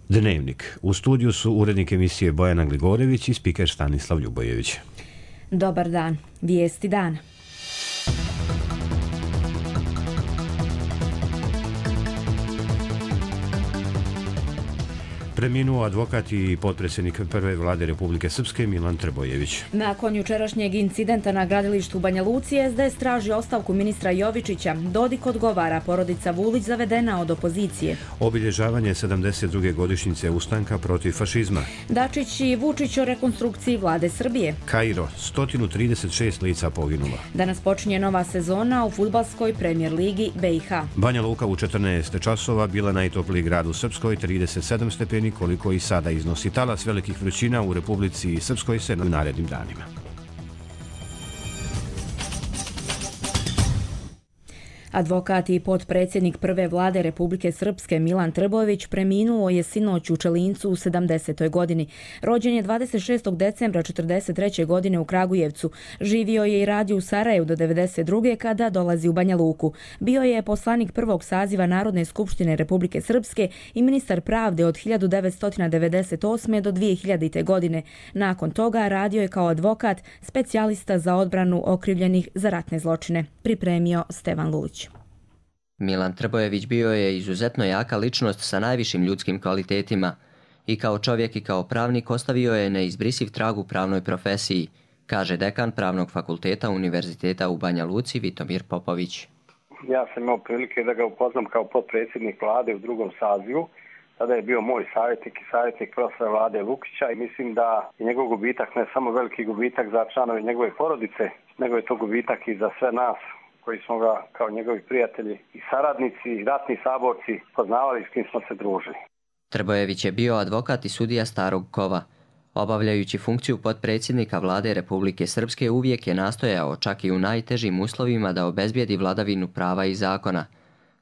Dnevnik. U studiju su urednik emisije Bojana Gligorević i spiker Stanislav Ljubojević. Dobar dan. Vijesti dana. Preminuo advokat i potpredsjednik prve vlade Republike Srpske Milan Trbojević. Nakon jučerašnjeg incidenta na gradilištu u Banja Luci, SDS traži ostavku ministra Jovičića. Dodik odgovara, porodica Vulić zavedena od opozicije. Obilježavanje 72. godišnjice ustanka protiv fašizma. Dačić i Vučić o rekonstrukciji vlade Srbije. Kairo, 136 lica poginulo. Danas počinje nova sezona u fudbalskoj premijer ligi BiH. Banja Luka u 14 časova bila najtopliji grad u Srpskoj, 37 stepeni, koliko i sada iznosi. Talas velikih vrućina u Republici Srpskoj se u narednim danima. Advokat i potpredsjednik prve vlade Republike Srpske Milan Trbojević preminuo je sinoć u Čelincu u 70. godini. Rođen je 26. decembra 43. godine u Kragujevcu. Živio je i radio u Sarajevu do 92. kada dolazi u Banja Luku. Bio je poslanik prvog saziva Narodne skupštine Republike Srpske i ministar pravde od 1998. do 2000. godine. Nakon toga radio je kao advokat, specijalista za odbranu okrivljenih za ratne zločine. Pripremio Stevan Lulić. Milan Trbojević bio je izuzetno jaka ličnost sa najvišim ljudskim kvalitetima i kao čovjek i kao pravnik ostavio je neizbrisiv trag u pravnoj profesiji, kaže dekan Pravnog fakulteta Univerziteta u Banja Luci Vitomir Popović. Ja sam imao prilike da ga upoznam kao potpredsjednik vlade u drugom sazivu. Tada je bio moj savjetnik i savjetnik profesora vlade Lukića i mislim da je njegov gubitak ne samo veliki gubitak za članove njegove porodice, nego je to gubitak i za sve nas koji smo ga kao njegovi prijatelji i saradnici i ratni saborci poznavali s kim smo se družili. Trbojević je bio advokat i sudija Starog Kova. Obavljajući funkciju potpredsjednika vlade Republike Srpske uvijek je nastojao, čak i u najtežim uslovima, da obezbijedi vladavinu prava i zakona.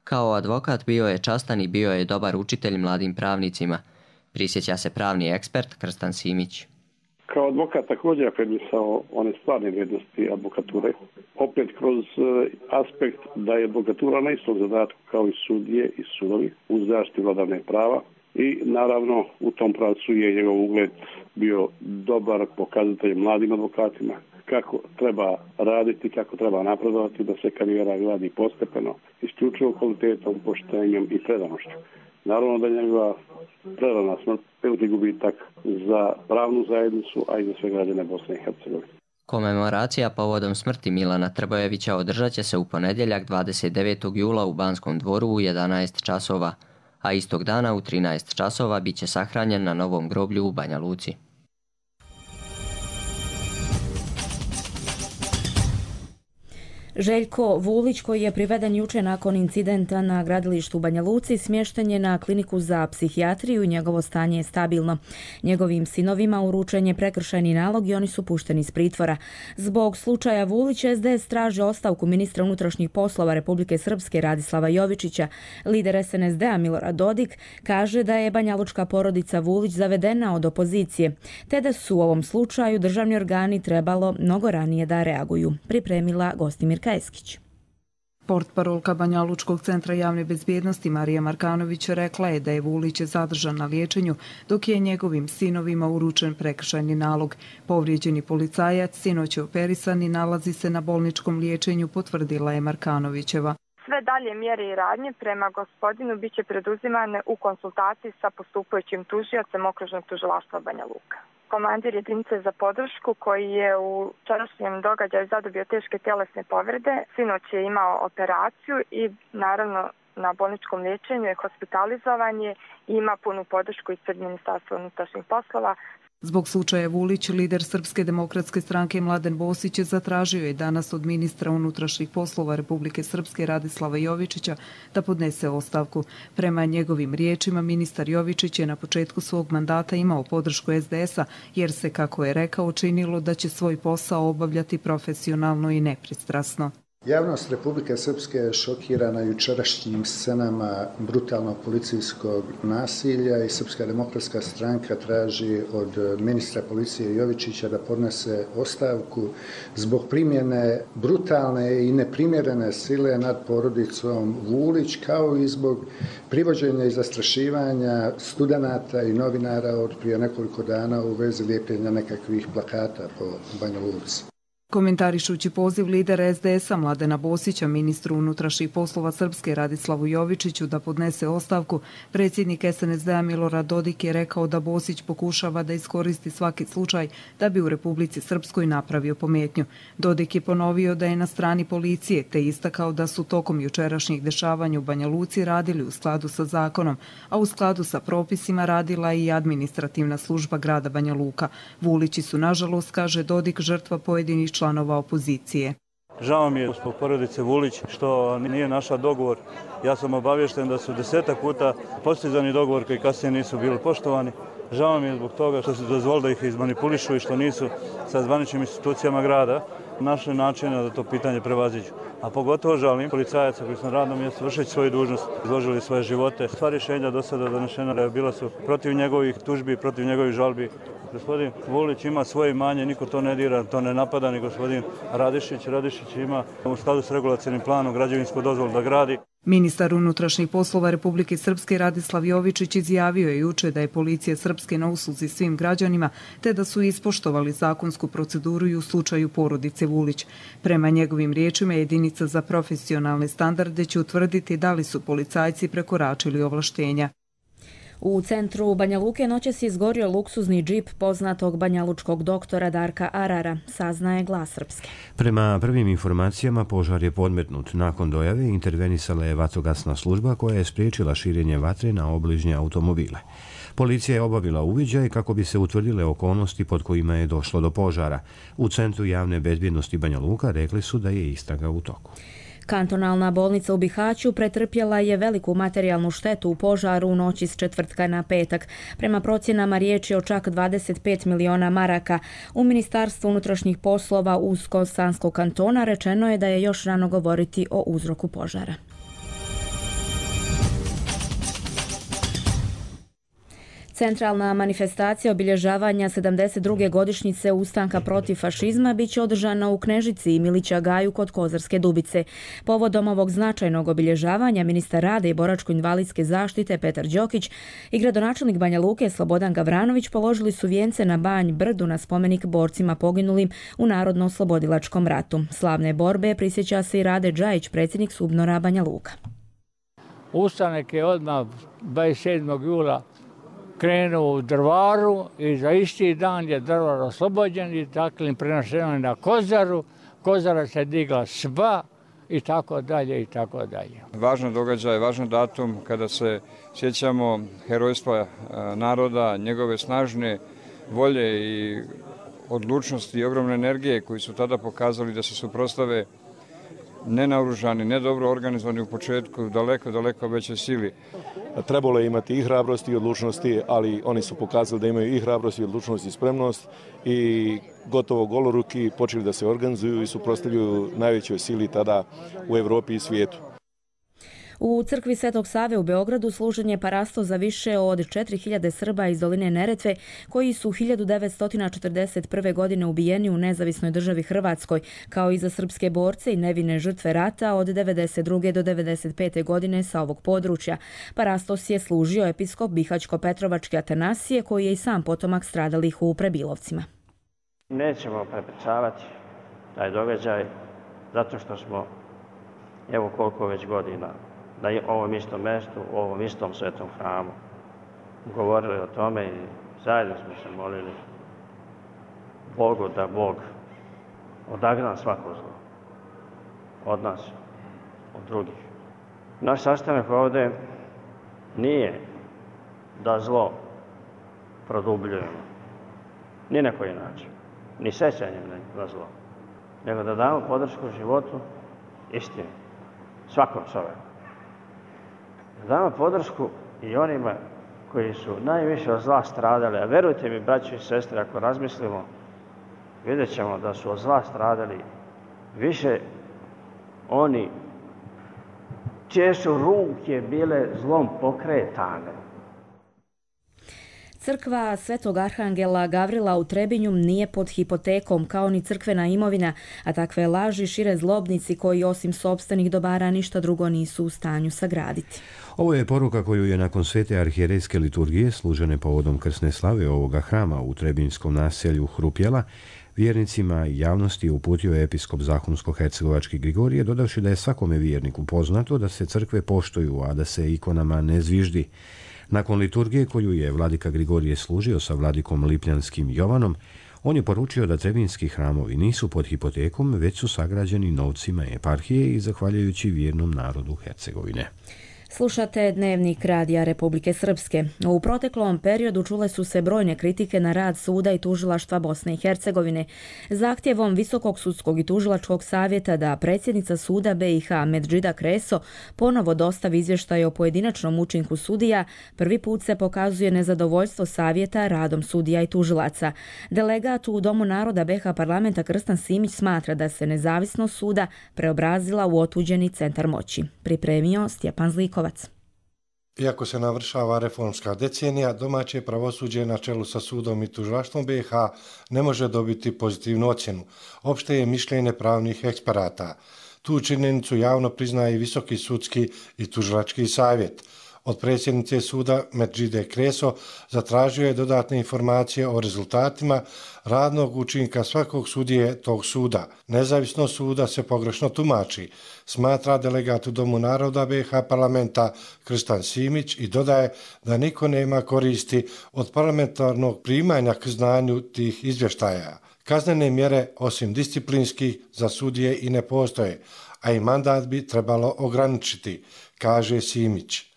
Kao advokat bio je častan i bio je dobar učitelj mladim pravnicima, prisjeća se pravni ekspert Krstan Simić. Kao advokat također afirmisao one stvarne vrijednosti advokature, opet kroz aspekt da je advokatura na istom zadatku kao i sudije i sudovi u zaštiti vladavine prava i naravno u tom pravcu je njegov ugled bio dobar pokazatelj mladim advokatima kako treba raditi, kako treba napredovati, da se karijera gradi postepeno, isključivo kvalitetom, poštenjem i predanošću. Naravno da je njegova prerana smrt veliki gubitak za pravnu zajednicu, a i za sve građane Bosne i Hercegovine. Komemoracija povodom smrti Milana Trbojevića održat će se u ponedjeljak 29. jula u Banskom dvoru u 11 časova, a istog dana u 13 časova bit će sahranjen na novom groblju u Banja Luci. Željko Vulić, koji je priveden juče nakon incidenta na gradilištu u Banja Luci, smješten je na kliniku za psihijatriju i njegovo stanje je stabilno. Njegovim sinovima uručen je prekršajni nalog i oni su pušteni iz pritvora. Zbog slučaja Vulić, SDS traži ostavku ministra unutrašnjih poslova Republike Srpske Radislava Jovičića. Lider SNSD-a Milorad Dodik kaže da je banjalučka porodica Vulić zavedena od opozicije, te da su u ovom slučaju državni organi trebalo mnogo ranije da reaguju. Pripremila Gostimir Eskić. Portparolka Banjalučkog centra javne bezbjednosti Marija Markanović rekla je da je Vulić zadržan na liječenju, dok je njegovim sinovima uručen prekršajni nalog. Povrijeđeni policajac sinoć je operisan i nalazi se na bolničkom liječenju, potvrdila je Markanovićeva. Sve dalje mjere i radnje prema gospodinu biće preduzimane u konsultaciji sa postupajućim tužiocem Okružnog tužilaštva Banja Luka. Komandir jedinice za podršku koji je u včerašnjem događaju zadobio teške tjelesne povrede, sinoć je imao operaciju i naravno na bolničkom liječenju je hospitalizovan i ima punu podršku ispred Ministarstva unutrašnjih poslova. Zbog slučaja Vulić, lider Srpske demokratske stranke Mladen Bosić zatražio je danas od ministra unutrašnjih poslova Republike Srpske Radislava Jovičića da podnese ostavku. Prema njegovim riječima, ministar Jovičić je na početku svog mandata imao podršku SDS-a jer se, kako je rekao, činilo da će svoj posao obavljati profesionalno i nepristrasno. Javnost Republike Srpske je šokirana jučerašnjim scenama brutalnog policijskog nasilja i Srpska demokratska stranka traži od ministra policije Jovičića da podnese ostavku zbog primjene brutalne i neprimjerene sile nad porodicom Vulić, kao i zbog privođenja i zastrašivanja studenata i novinara od prije nekoliko dana u vezi lijepljenja nekakvih plakata po Banja Luci. Komentarišući poziv lidera SDS-a Mladena Bosića ministru unutrašnjih poslova Srpske Radislavu Jovičiću da podnese ostavku, predsjednik SNSD-a Milorad Dodik je rekao da Bosić pokušava da iskoristi svaki slučaj da bi u Republici Srpskoj napravio pometnju. Dodik je ponovio da je na strani policije, te istakao da su tokom jučerašnjih dešavanja u Banja Luci radili u skladu sa zakonom, a u skladu sa propisima radila i administrativna služba grada Banja Luka. Vulići su, nažalost, kaže Dodik, žrtva pojedinih članova opozicije. Žao mi je zbog porodice Vulić što nije našla dogovor. Ja sam obavješten da su 10 puta postizani dogovor koji kasnije nisu bili poštovani. Žao mi je zbog toga što su dozvolili da ih izmanipulišu i što nisu sa zvaničnim institucijama grada našli načina da to pitanje prevaziđu. A pogotovo žalim policajaca koji su na radnom mjestu vršeći svoju dužnost, izložili svoje živote. Sva rješenja do sada donešena bila su protiv njegovih tužbi, protiv njegovih žalbi. Gospodin Vulić ima svoje imanje, niko to ne dira, to ne napada ni gospodin Radišić. Radišić ima u skladu s regulacionim planom građevinsku dozvolu da gradi. Ministar unutrašnjih poslova Republike Srpske Radislav Jovičić izjavio je juče da je policija Srpske na usluzi svim građanima, te da su ispoštovali zakonsku proceduru i u slučaju porodice Vulić. Prema njegovim riječima, jedinica za profesionalne standarde će utvrditi da li su policajci prekoračili ovlaštenja. U centru Banja Luke noćas je izgorio luksuzni džip poznatog banjalučkog doktora Darka Arara, saznaje Glas Srpske. Prema prvim informacijama, požar je podmetnut. Nakon dojave intervenisala je vatrogasna služba koja je spriječila širenje vatre na obližnje automobile. Policija je obavila uviđaj kako bi se utvrdile okolnosti pod kojima je došlo do požara. U Centru javne bezbjednosti Banja Luka rekli su da je istraga u toku. Kantonalna bolnica u Bihaću pretrpjela je veliku materijalnu štetu u požaru u noći s četvrtka na petak. Prema procjenama riječ je o čak 25 miliona maraka. U Ministarstvu unutrašnjih poslova Usko-Sanskog kantona rečeno je da je još rano govoriti o uzroku požara. Centralna manifestacija obilježavanja 72. godišnjice ustanka protiv fašizma biće održana u Knežici i Milića Gaju kod Kozarske Dubice. Povodom ovog značajnog obilježavanja ministar rada i boračko-invalidske zaštite Petar Đokić i gradonačelnik Banja Luke Slobodan Gavranović položili su vijence na Banj Brdu na spomenik borcima poginulim u Narodno-oslobodilačkom ratu. Slavne borbe prisjeća se i Rade Džajić, predsjednik SUBNOR-a Banja Luka. Ustanak je odmah 27. jula krenuo u Drvaru i za isti dan je Drvar oslobođen i dakle prenašeno na Kozaru. Kozara se digla sva i tako dalje i tako dalje. Važan događaj, važan datum kada se sjećamo herojstva naroda, njegove snažne volje i odlučnosti i ogromne energije koji su tada pokazali da se suprotstave nenaoružani, nedobro organizovani u početku, daleko većoj sili. Trebalo je imati i hrabrosti i odlučnosti, ali oni su pokazali da imaju i hrabrost i odlučnost i spremnost i gotovo goloruki počeli da se organizuju i suprotstavljaju najvećoj sili tada u Evropi i svijetu. U crkvi Svetog Save u Beogradu služen je parasto za više od 4000 Srba iz doline Neretve koji su 1941. godine ubijeni u nezavisnoj državi Hrvatskoj, kao i za srpske borce i nevine žrtve rata od 1992. do 1995. godine sa ovog područja. Parastos je služio episkop Bihaćko-Petrovački Atanasije, koji je i sam potomak stradalih u Prebilovcima. Nećemo prepričavati taj događaj zato što smo, evo koliko već godina, na ovom istom mjestu, u ovom istom svetom hramu govorili o tome i zajedno smo se molili Bogu da Bog odagna svako zlo od nas, od drugih. Naš sastanak ovdje nije da zlo produbljujemo, ni na koji način, ni sećanjem na zlo, nego da damo podršku životu istini, svakom čovjeku. Damo podršku i onima koji su najviše od zla stradali, a verujte mi, braći i sestre, ako razmislimo, vidjet ćemo da su od zla stradali više oni čije su ruke bile zlom pokretane. Crkva Svetog Arhangela Gavrila u Trebinju nije pod hipotekom kao ni crkvena imovina, a takve laži šire zlobnici koji osim sopstvenih dobara ništa drugo nisu u stanju sagraditi. Ovo je poruka koju je nakon svete arhijerejske liturgije služene povodom krsne slave ovoga hrama u Trebinjskom naselju Hrupjela vjernicima i javnosti uputio episkop Zahumsko-hercegovački Grigorije, dodavši da je svakome vjerniku poznato da se crkve poštuju, a da se ikonama ne zviždi. Nakon liturgije koju je vladika Grigorije služio sa vladikom Lipljanskim Jovanom, on je poručio da trebinjski hramovi nisu pod hipotekom, već su sagrađeni novcima eparhije i zahvaljujući vjernom narodu Hercegovine. Slušate Dnevnik Radija Republike Srpske. U proteklom periodu čule su se brojne kritike na rad suda i tužilaštva Bosne i Hercegovine. Zahtjevom Visokog sudskog i tužilačkog savjeta da predsjednica suda BiH Medžida Kreso ponovo dostavi izvještaj o pojedinačnom učinku sudija, prvi put se pokazuje nezadovoljstvo savjeta radom sudija i tužilaca. Delegat u Domu naroda BiH parlamenta Krstan Simić smatra da se nezavisnost suda preobrazila u otuđeni centar moći. Pripremio Stjepan Zlikovac. Iako se navršava reformska decenija, domaće pravosuđe na čelu sa sudom i tužilaštvom BiH ne može dobiti pozitivnu ocjenu. Opšte je mišljenje pravnih eksperata. Tu činjenicu javno priznaje i Visoki sudski i tužilački savjet. Od predsjednice suda Medžide Kreso zatražio je dodatne informacije o rezultatima radnog učinka svakog sudije tog suda. Nezavisnost suda se pogrešno tumači, smatra delegat u Domu naroda BiH parlamenta Krstan Simić i dodaje da niko nema koristi od parlamentarnog primanja k znanju tih izvještaja. Kaznene mjere osim disciplinskih za sudije i ne postoje, a i mandat bi trebalo ograničiti, kaže Simić.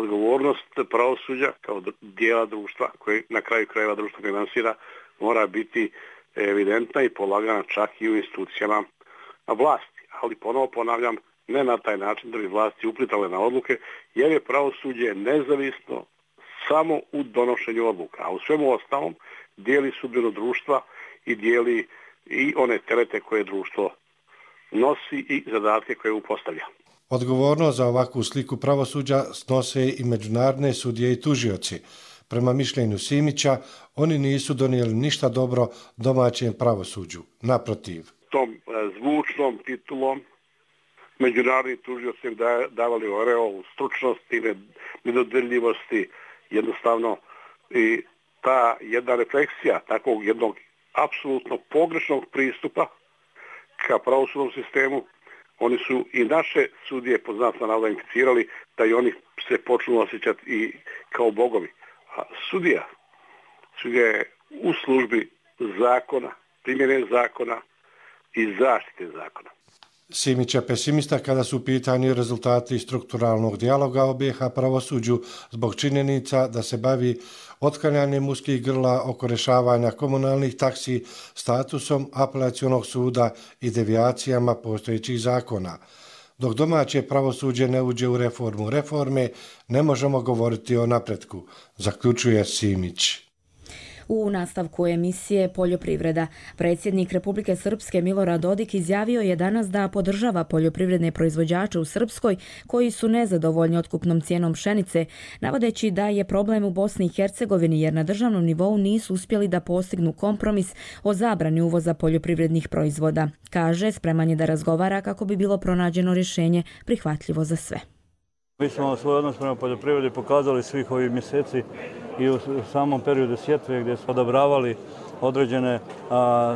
Odgovornost pravosuđa kao dijela društva koje na kraju krajeva društvo finansira mora biti evidentna i polagana čak i u institucijama vlasti. Ali ponovo ponavljam, ne na taj način da bi vlasti uplitale na odluke, jer je pravosuđe nezavisno samo u donošenju odluka, a u svemu ostalom dijeli sudbinu društva i dijeli i one terete koje društvo nosi i zadatke koje upostavlja. Odgovornost za ovakvu sliku pravosuđa snose i međunarodne sudije i tužioci. Prema mišljenju Simića, oni nisu donijeli ništa dobro domaćem pravosuđu. Naprotiv. Tom zvučnom titulom međunarodni tužioci im davali oreol stručnosti, nedodirljivosti, jednostavno i ta jedna refleksija takvog jednog apsolutno pogrešnog pristupa ka pravosudnom sistemu. Oni su i naše sudije poznatno navoda implicirali da i oni se počnu osjećati i kao bogovi. A sudija je u službi zakona, primjene zakona i zaštite zakona. Simić je pesimista kada su u pitanju rezultati strukturalnog dijaloga o BiH pravosuđu zbog činjenica da se bavi otklanjanjem uskih grla oko rješavanja komunalnih taksi, statusom apelacionog suda i devijacijama postojećih zakona. Dok domaće pravosuđe ne uđe u reformu reforme, ne možemo govoriti o napretku, zaključuje Simić. U nastavku emisije Poljoprivreda, predsjednik Republike Srpske Milorad Dodik izjavio je danas da podržava poljoprivredne proizvođače u Srpskoj koji su nezadovoljni otkupnom cijenom pšenice, navodeći da je problem u Bosni i Hercegovini jer na državnom nivou nisu uspjeli da postignu kompromis o zabrani uvoza poljoprivrednih proizvoda. Kaže, spreman je da razgovara kako bi bilo pronađeno rješenje prihvatljivo za sve. Mi smo svoj odnos prema poljoprivredi pokazali svih ovih mjeseci i u samom periodu sjetve gdje smo odobravali određene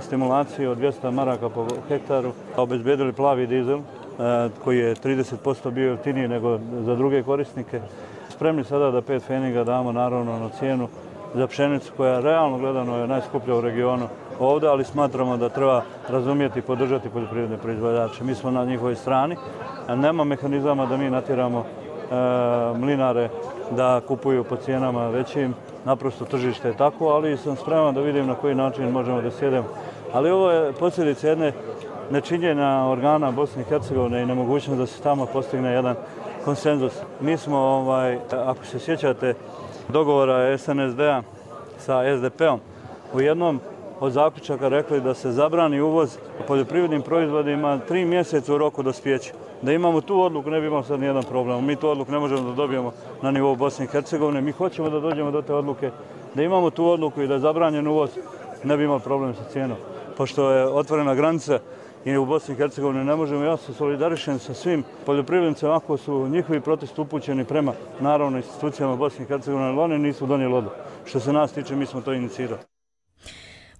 stimulacije od 200 maraka po hektaru, obezbedili plavi dizel koji je 30% bio jeftiniji nego za druge korisnike. Spremni sada da 5 pfeniga damo naravno na cijenu za pšenicu koja realno gledano je najskuplja u regionu ovdje, ali smatramo da treba razumjeti i podržati poljoprivredne proizvođače. Mi smo na njihovoj strani, a nema mehanizama da mi natjeramo mlinare da kupuju po cijenama većim, naprosto tržište je tako, ali sam spreman da vidim na koji način možemo da sjedemo. Ali ovo je posljedica jedne nečinjenja organa Bosne i Hercegovine i nemogućnost da se tamo postigne jedan konsenzus. Mi smo, ako se sjećate dogovora SNSD-a sa SDP-om, u jednom od zaključaka rekli da se zabrani uvoz poljoprivrednim proizvodima 3 mjeseca u roku dospijeća. Da imamo tu odluku ne bi imao sad nijedan problem. Mi tu odluku ne možemo da dobijemo na nivou Bosne i Hercegovine. Mi hoćemo da dođemo do te odluke. Da imamo tu odluku i da je zabranjen uvoz, ne bi imali problem sa cijenom. Pošto je otvorena granica i u Bosni i Hercegovini ne možemo, ja se solidarišem sa svim poljoprivrednicima ako su njihovi protesti upućeni prema naravno institucijama Bosne i Hercegovine, ali oni nisu donijeli odluku. Što se nas tiče, mi smo to inicirali.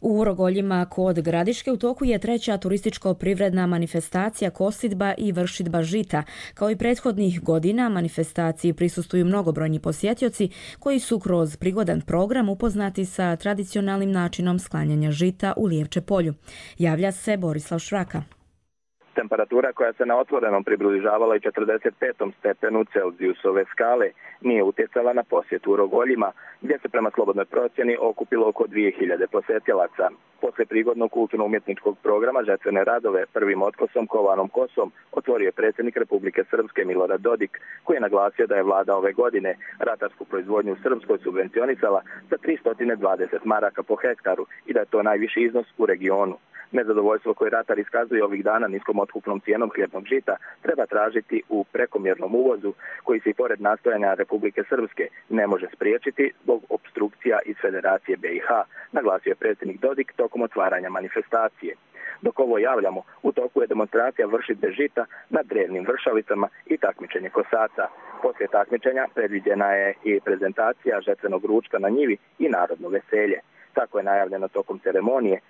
U Rogoljima kod Gradiške u toku je 3. turističko-privredna manifestacija kosidba i vršidba žita. Kao i prethodnih godina, manifestaciji prisustvuju mnogobrojni posjetioci koji su kroz prigodan program upoznati sa tradicionalnim načinom sklanjanja žita u Lijevče polju. Javlja se Borislav Švraka. Temperatura koja se na otvorenom približavala i 45. stepenu Celzijusove skale nije utjecala na posjetu u Rogoljima, gdje se prema slobodnoj procjeni okupilo oko 2000 posjetilaca. Posle prigodnog kulturno-umjetničkog programa žetvene radove prvim otkosom kovanom kosom otvorio je predsjednik Republike Srpske Milorad Dodik, koji je naglasio da je vlada ove godine ratarsku proizvodnju u Srpskoj subvencionisala sa 320 maraka po hektaru i da je to najviši iznos u regionu. Nezadovoljstvo koje ratar iskazuje ovih dana niskom otkupnom cijenom hljebnog žita treba tražiti u prekomjernom uvozu koji se i pored nastojanja Republike Srpske ne može spriječiti zbog opstrukcija iz Federacije BiH, naglasio je predsjednik Dodik tokom otvaranja manifestacije. Dok ovo javljamo, u toku je demonstracija vršidbe žita na drevnim vršalicama i takmičenje kosaca. Poslije takmičenja predviđena je i prezentacija žetvenog ručka na njivi i narodno veselje. Tako je najavljeno tokom ceremonije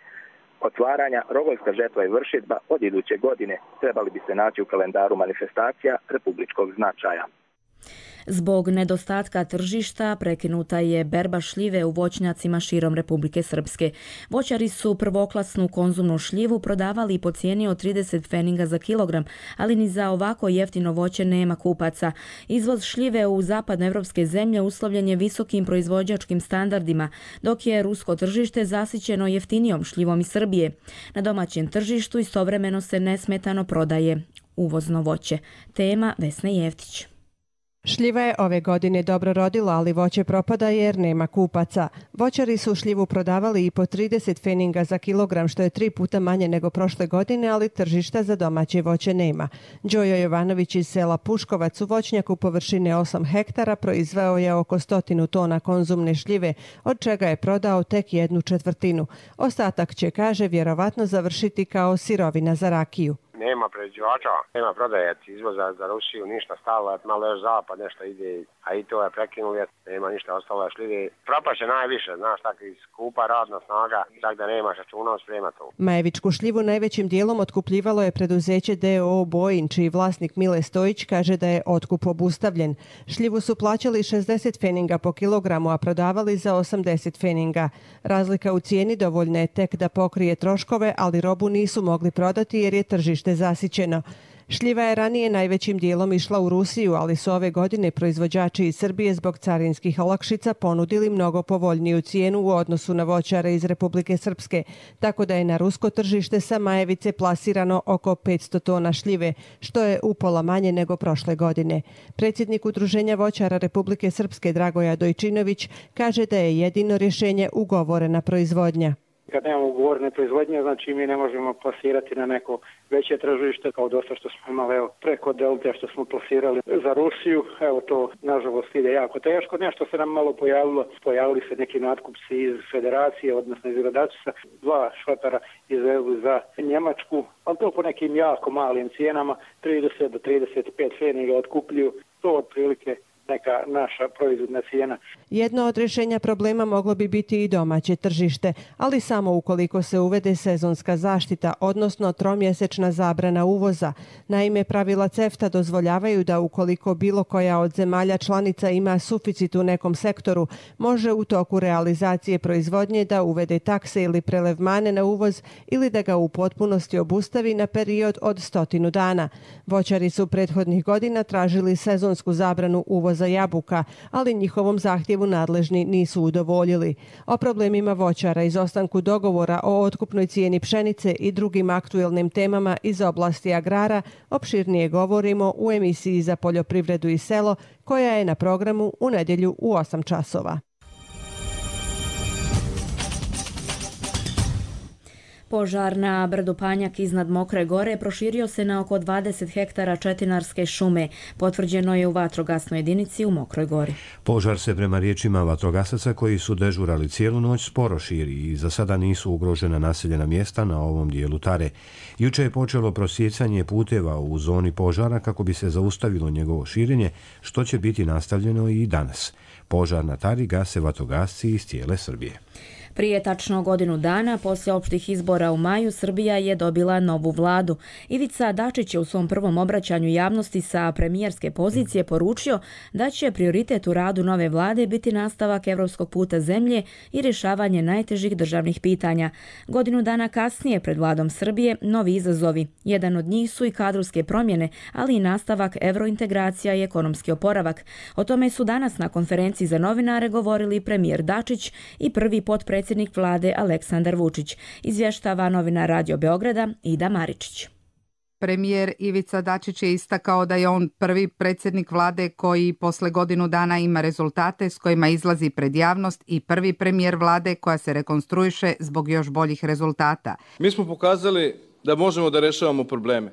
otvaranja. Rogoljska žetva i vršidba od iduće godine trebali bi se naći u kalendaru manifestacija republičkog značaja. Zbog nedostatka tržišta prekinuta je berba šljive u voćnjacima širom Republike Srpske. Voćari su prvoklasnu konzumnu šljivu prodavali po cijeni od 30 pfeninga za kilogram, ali ni za ovako jeftino voće nema kupaca. Izvoz šljive u zapadnoevropske zemlje uslovljen je visokim proizvođačkim standardima, dok je rusko tržište zasićeno jeftinijom šljivom iz Srbije. Na domaćem tržištu istovremeno se nesmetano prodaje uvozno voće. Tema Vesna Jeftić. Šljiva je ove godine dobro rodila, ali voće propada jer nema kupaca. Voćari su šljivu prodavali i po 30 pfeninga za kilogram, što je 3 puta manje nego prošle godine, ali tržišta za domaće voće nema. Đojo Jovanović iz sela Puškovac u voćnjaku površine 8 hektara proizveo je oko 100 tona konzumne šljive, od čega je prodao tek 1/4. Ostatak će, kaže, vjerovatno završiti kao sirovina za rakiju. Nema prerađivača, nema prodajac, izvoza za Rusiju, ništa stalo, malo još zapad, nešto ide, a i to je prekinulo, nema ništa ostalo šljive. Propaše najviše, znaš, tako skupa radna snaga, tako da nemaš računa sprema to. Majevičku šljivu najvećim dijelom otkupljivalo je preduzeće DOO Bojin, čiji vlasnik Mile Stojić kaže da je otkup obustavljen. Šljivu su plaćali 60 pfeninga po kilogramu, a prodavali za 80 pfeninga. Razlika u cijeni dovoljna je tek da pokrije troškove, ali robu nisu mogli prodati jer je tržište zasićeno. Šljiva je ranije najvećim dijelom išla u Rusiju, ali su ove godine proizvođači iz Srbije zbog carinskih olakšica ponudili mnogo povoljniju cijenu u odnosu na voćare iz Republike Srpske, tako da je na rusko tržište sa Majevice plasirano oko 500 tona šljive, što je upola manje nego prošle godine. Predsjednik Udruženja voćara Republike Srpske Dragoja Dojčinović kaže da je jedino rješenje ugovorena proizvodnja. Kad nemamo ugovorene proizvodnje, znači mi ne možemo plasirati na neko veće tržište, kao dosta što smo imali preko Delte što smo plasirali za Rusiju. Evo to, nažalost, ide jako teško. Nešto se nam malo pojavilo. Pojavili se neki natkupci iz Federacije, odnosno iz Gradačca. 2 šlepera izvezli za Njemačku, ali to po nekim jako malim cijenama, 30 do 35 pfeninga otkupljuju. To otprilike neka naša proizvodna cijena. Jedno od rješenja problema moglo bi biti i domaće tržište, ali samo ukoliko se uvede sezonska zaštita, odnosno tromjesečna zabrana uvoza. Naime, pravila CEFTA dozvoljavaju da ukoliko bilo koja od zemalja članica ima suficit u nekom sektoru, može u toku realizacije proizvodnje da uvede takse ili prelevmane na uvoz ili da ga u potpunosti obustavi na period od 100 dana. Voćari su prethodnih godina tražili sezonsku zabranu uvoza jabuka, ali njihovom zahtjevu nadležni nisu udovoljili. O problemima voćara, izostanku dogovora o otkupnoj cijeni pšenice i drugim aktuelnim temama iz oblasti agrara opširnije govorimo u emisiji za poljoprivredu i selo, koja je na programu u nedjelju u 8 časova. Požar na brdu Panjak iznad Mokre Gore proširio se na oko 20 hektara četinarske šume, potvrđeno je u vatrogasnoj jedinici u Mokroj Gori. Požar se prema riječima vatrogasaca koji su dežurali cijelu noć sporo širi i za sada nisu ugrožena naseljena mjesta na ovom dijelu Tare. Juče je počelo prosjecanje puteva u zoni požara kako bi se zaustavilo njegovo širenje, što će biti nastavljeno i danas. Požar na Tari gase vatrogasci iz cijele Srbije. Prije tačno godinu dana, poslije opštih izbora u maju, Srbija je dobila novu vladu. Ivica Dačić je u svom prvom obraćanju javnosti sa premijerske pozicije poručio da će prioritet u radu nove vlade biti nastavak evropskog puta zemlje i rješavanje najtežih državnih pitanja. Godinu dana kasnije pred vladom Srbije novi izazovi. Jedan od njih su i kadrovske promjene, ali i nastavak evrointegracija i ekonomski oporavak. O tome su danas na konferenciji za novinare govorili premijer Dačić i prvi potpredsjednik vlade Aleksandar Vučić, izvještava novinar Radio Beograda Ida Maričić. Premijer Ivica Dačić je istakao da je on prvi predsjednik vlade koji posle godinu dana ima rezultate s kojima izlazi pred javnost i prvi premijer vlade koja se rekonstruiše zbog još boljih rezultata. Mi smo pokazali da možemo da rešavamo probleme,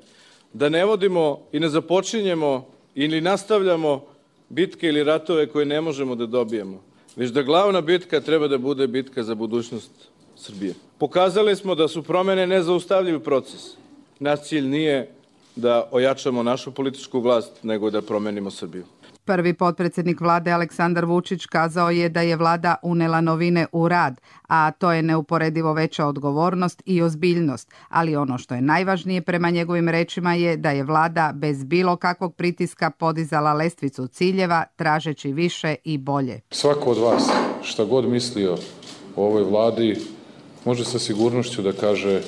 da ne vodimo i ne započinjemo ili nastavljamo bitke ili ratove koje ne možemo da dobijemo, već da glavna bitka treba da bude bitka za budućnost Srbije. Pokazali smo da su promjene nezaustavljiv proces. Naš cilj nije da ojačamo našu političku vlast, nego da promenimo Srbiju. Prvi potpredsjednik vlade Aleksandar Vučić kazao je da je vlada unela novine u rad, a to je neuporedivo veća odgovornost i ozbiljnost. Ali ono što je najvažnije prema njegovim rečima je da je vlada bez bilo kakvog pritiska podizala lestvicu ciljeva, tražeći više i bolje. Svako od vas, šta god mislio o ovoj vladi, može sa sigurnošću da kaže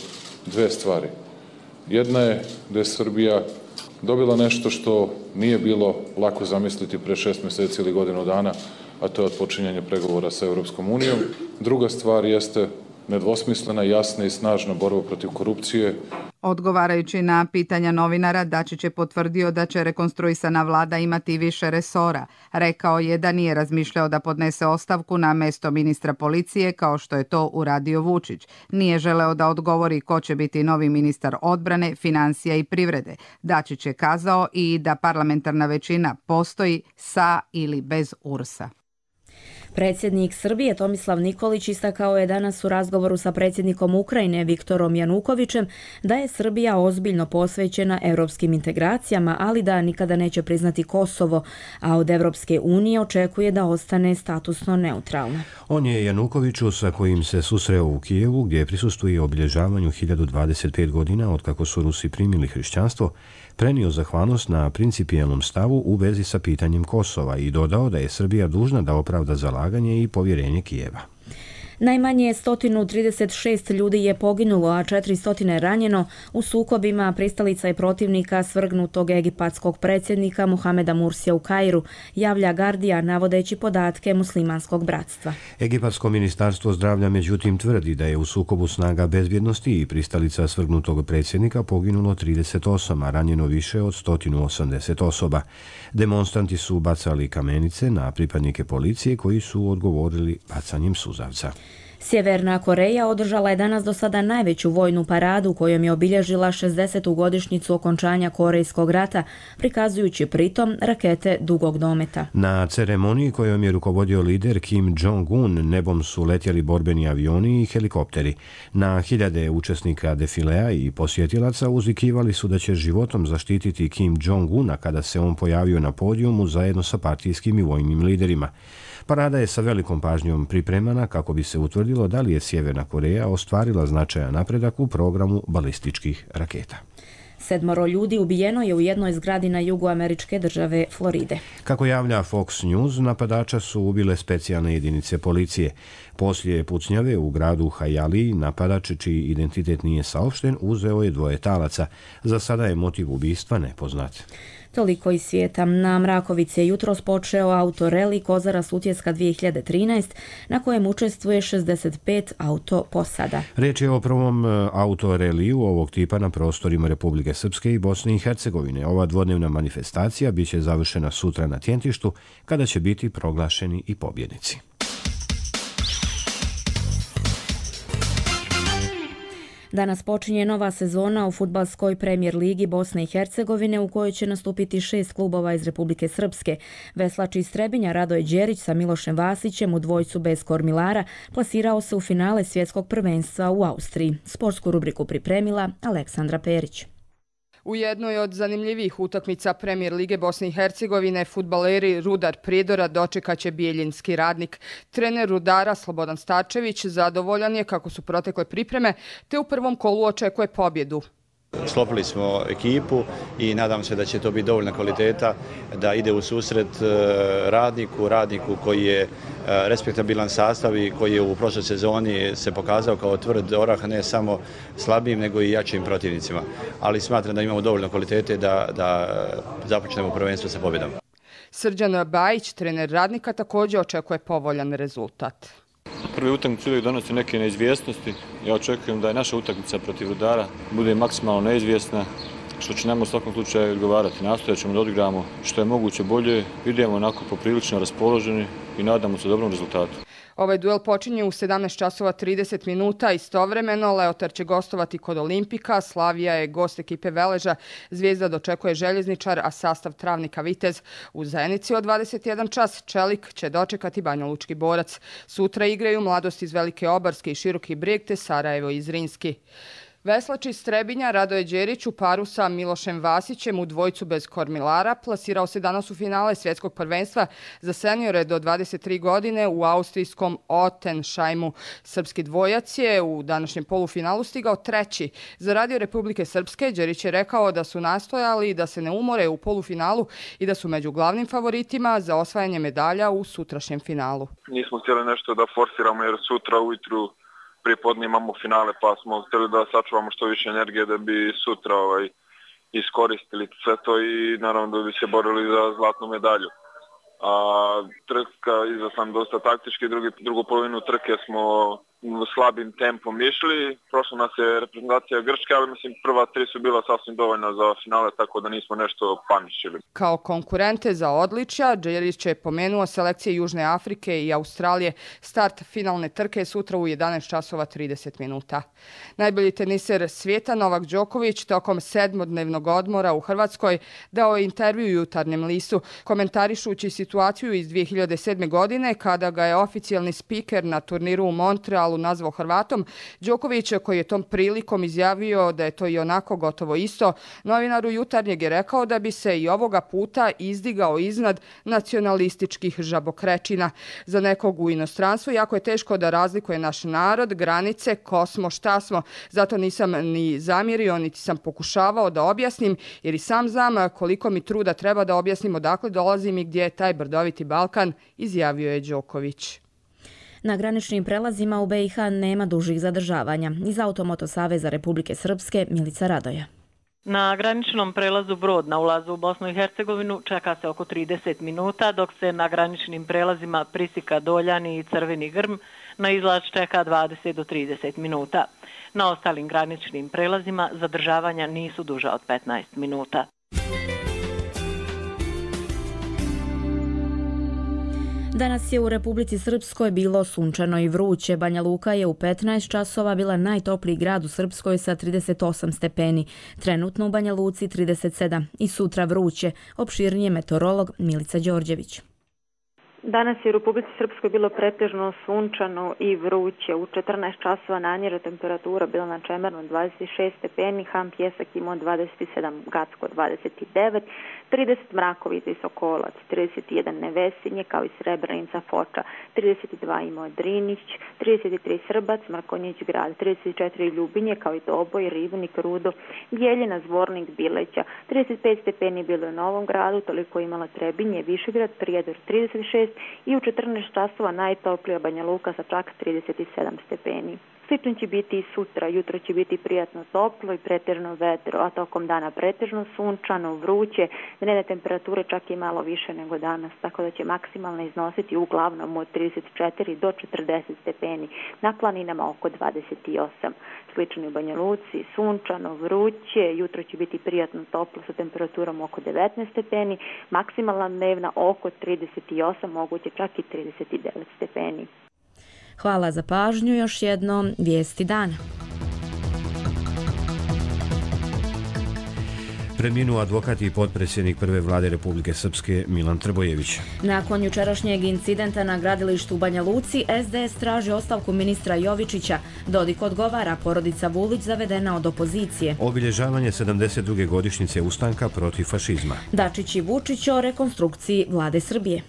dve stvari. Jedna je da je Srbija dobila nešto što nije bilo lako zamisliti pre 6 mjeseci ili godinu dana, a to je odpočinjanje pregovora sa Europskom unijom. Druga stvar jeste nedvosmislena, jasna i snažna borba protiv korupcije. Odgovarajući na pitanja novinara, Dačić je potvrdio da će rekonstruisana vlada imati više resora. Rekao je da nije razmišljao da podnese ostavku na mesto ministra policije kao što je to uradio Vučić. Nije želeo da odgovori ko će biti novi ministar odbrane, financija i privrede. Dačić je kazao i da parlamentarna većina postoji sa ili bez URS-a. Predsjednik Srbije Tomislav Nikolić istakao je danas u razgovoru sa predsjednikom Ukrajine Viktorom Janukovićem da je Srbija ozbiljno posvećena europskim integracijama, ali da nikada neće priznati Kosovo, a od Evropske unije očekuje da ostane statusno neutralna. On je Janukoviću, sa kojim se susreo u Kijevu, gdje prisustuje obilježavanju 1025 godina od kako su Rusi primili hrišćanstvo, prenio zahvalnost na principijelnom stavu u vezi sa pitanjem Kosova i dodao da je Srbija dužna da opravda zalaganje i povjerenje Kijeva. Najmanje 136 ljudi je poginulo, a 400 ranjeno u sukobima pristalica i protivnika svrgnutog egipatskog predsjednika Muhameda Mursija u Kairu, javlja Guardian navodeći podatke muslimanskog bratstva. Egipatsko ministarstvo zdravlja međutim tvrdi da je u sukobu snaga bezbjednosti i pristalica svrgnutog predsjednika poginulo 38, a ranjeno više od 180 osoba. Demonstranti su bacali kamenice na pripadnike policije koji su odgovorili bacanjem suzavca. Sjeverna Koreja održala je danas do sada najveću vojnu paradu kojom je obilježila 60. godišnjicu okončanja Korejskog rata, prikazujući pritom rakete dugog dometa. Na ceremoniji kojom je rukovodio lider Kim Jong-un nebom su letjeli borbeni avioni i helikopteri. Na hiljade učesnika defilea i posjetilaca uzvikivali su da će životom zaštititi Kim Jong-una kada se on pojavio na podijumu zajedno sa partijskim i vojnim liderima. Parada je sa velikom pažnjom pripremana kako bi se utvrdilo da li je Sjeverna Koreja ostvarila značajan napredak u programu balističkih raketa. 7 ljudi ubijeno je u jednoj zgradi na jugu američke države Floride. Kako javlja Fox News, napadača su ubile specijalne jedinice policije. Poslije pucnjave u gradu Hialeah, napadač, čiji identitet nije saopšten, uzeo je 2 talaca. Za sada je motiv ubistva nepoznat. Toliko iz svijeta. Na Mrakovici je jutros počeo autoreli Kozara Sutjeska 2013, na kojem učestvuje 65 autoposada. Riječ je o prvom autoreliju ovog tipa na prostorima Republike Srpske i Bosne i Hercegovine. Ova dvodnevna manifestacija biće završena sutra na Tjentištu, kada će biti proglašeni i pobjednici. Danas počinje nova sezona u fudbalskoj premijer ligi Bosne i Hercegovine u kojoj će nastupiti 6 klubova iz Republike Srpske. Veslač iz Trebinja Radoje Đerić sa Milošem Vasićem u dvojcu bez Kormilara plasirao se u finale svjetskog prvenstva u Austriji. Sportsku rubriku pripremila Aleksandra Perić. U jednoj od zanimljivih utakmica Premijer lige Bosne i Hercegovine fudbaleri Rudar Prijedora dočekaće bijeljinski Radnik. Trener Rudara Slobodan Starčević zadovoljan je kako su protekle pripreme, te u prvom kolu očekuje pobjedu. Sklopili smo ekipu i nadam se da će to biti dovoljna kvaliteta da ide u susret radniku koji je respektabilan sastav i koji je u prošloj sezoni se pokazao kao tvrd orah, ne samo slabijim nego i jačim protivnicima. Ali smatram da imamo dovoljno kvalitete da započnemo prvenstvo sa pobjedom. Srđan Bajić, trener Radnika, također očekuje povoljan rezultat. Prvi utakmica uvijek donosi neke neizvjesnosti. Ja očekujem da je naša utakmica protiv Rudara bude maksimalno neizvjesna, što će nam u svakom slučaju odgovarati. Nastojat ćemo da odigramo što je moguće bolje, idemo onako poprilično raspoloženi i nadamo se dobrom rezultatu. Ovaj duel počinje u 17:30. Istovremeno Leotar će gostovati kod Olimpika, Slavija je gost ekipe Veleža, Zvijezda dočekuje Željezničar, a sastav Travnika Vitez. U Zenici od 21 čas Čelik će dočekati Banjalučki Borac. Sutra igraju Mladost iz Velike Obarske i Široki Brijeg te Sarajevo iz Zrinski. Veslač iz Trebinja Radoje Đerić u paru sa Milošem Vasićem u dvojcu bez Kormilara plasirao se danas u finale svjetskog prvenstva za seniore do 23 godine u austrijskom Ottensheimu. Srpski dvojac je u današnjem polufinalu stigao treći. Za Radio Republike Srpske Đerić je rekao da su nastojali da se ne umore u polufinalu i da su među glavnim favoritima za osvajanje medalja u sutrašnjem finalu. Nismo htjeli nešto da forsiramo jer sutra ujutru prije imamo finale, pa smo htjeli da sačuvamo što više energije da bi sutra iskoristili sve to i naravno da bi se borili za zlatnu medalju. A trka iza sam dosta taktički, drugu polovinu trke smo slabim tempom išli. Prošla nas je reprezentacija Grčke, ali mislim prva 3 su bila sasvim dovoljna za finale, tako da nismo nešto paničili. Kao konkurente za odličja, Đerić je pomenuo selekcije Južne Afrike i Australije. Start finalne trke je sutra u 11:30. Najbolji teniser svijeta Novak Đoković tokom 7-dnevnog odmora u Hrvatskoj dao je intervju Jutarnjem listu, komentarišući situaciju iz 2007. godine kada ga je oficijalni spiker na turniru u Montrealu nazvao Hrvatom. Đoković, koji je tom prilikom izjavio da je to i onako gotovo isto, novinaru Jutarnjeg je rekao da bi se i ovoga puta izdigao iznad nacionalističkih žabokrečina. Za nekog u inostranstvu jako je teško da razlikuje naš narod, granice, ko smo, šta smo. Zato nisam ni zamjerio, niti sam pokušavao da objasnim, jer i sam znam koliko mi truda treba da objasnim odakle dolazim i gdje je taj brdoviti Balkan, izjavio je Đoković. Na graničnim prelazima u BiH nema dužih zadržavanja. Iz Automoto Saveza Republike Srpske Milica Radoja. Na graničnom prelazu Brod na ulazu u Bosnu i Hercegovinu čeka se oko 30 minuta, dok se na graničnim prelazima Prisika, Doljani i Crveni Grm na izlaz čeka 20 do 30 minuta. Na ostalim graničnim prelazima zadržavanja nisu duža od 15 minuta. Danas je u Republici Srpskoj bilo sunčano i vruće. Banja Luka je u 15 časova bila najtopliji grad u Srpskoj sa 38 stepeni. Trenutno u Banja Luci 37 i sutra vruće. Opširnije meteorolog Milica Đorđević. Danas je u Republici Srpskoj bilo pretežno sunčano i vruće. U 14 časova najniža temperatura bila na Čemernu 26 stepeni, Ham Pjesak imao 27, Gacko 29, 30 Mrakovica i Sokolac, 31 Nevesinje kao i Srebrenica, Foča, 32 imao Drinić, 33 Srbac, Mrkonjić grad, 34 Ljubinje kao i Doboj, Ribnik, Rudo, Bijeljina, Zvornik, Bileća, 35 stepeni bilo u Novom gradu, toliko imala Trebinje, Višegrad, Prijedor 36 i u 14 časova najtoplija Banja Luka sa čak 37 stepeni. Slično će biti i sutra, jutro će biti prijatno toplo i pretežno vedro, a tokom dana pretežno sunčano, vruće, dnevne temperature čak i malo više nego danas, tako da će maksimalno iznositi uglavnom od 34 do 40 stepeni, na planinama oko 28. Slično u Banja Luci, sunčano, vruće, jutro će biti prijatno toplo sa temperaturom oko 19 stepeni, maksimalna dnevna oko 38, moguće čak i 39 stepeni. Hvala za pažnju, još jednom vijesti dana. Preminuo advokat i potpredsjednik prve vlade Republike Srpske Milan Trbojević. Nakon jučerašnjeg incidenta na gradilištu u Banja Luci, SDS traži ostavku ministra Jovičića. Dodik odgovara, porodica Vulić zavedena od opozicije. Obilježavanje 72. godišnjice ustanka protiv fašizma. Dačić i Vučić o rekonstrukciji vlade Srbije.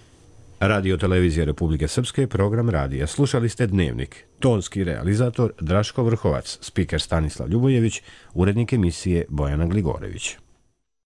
Radio televizije Republike Srpske, program radija. Slušali ste Dnevnik. Tonski realizator Draško Vrhovac, spiker Stanislav Ljubojević, urednik emisije Bojana Gligorević.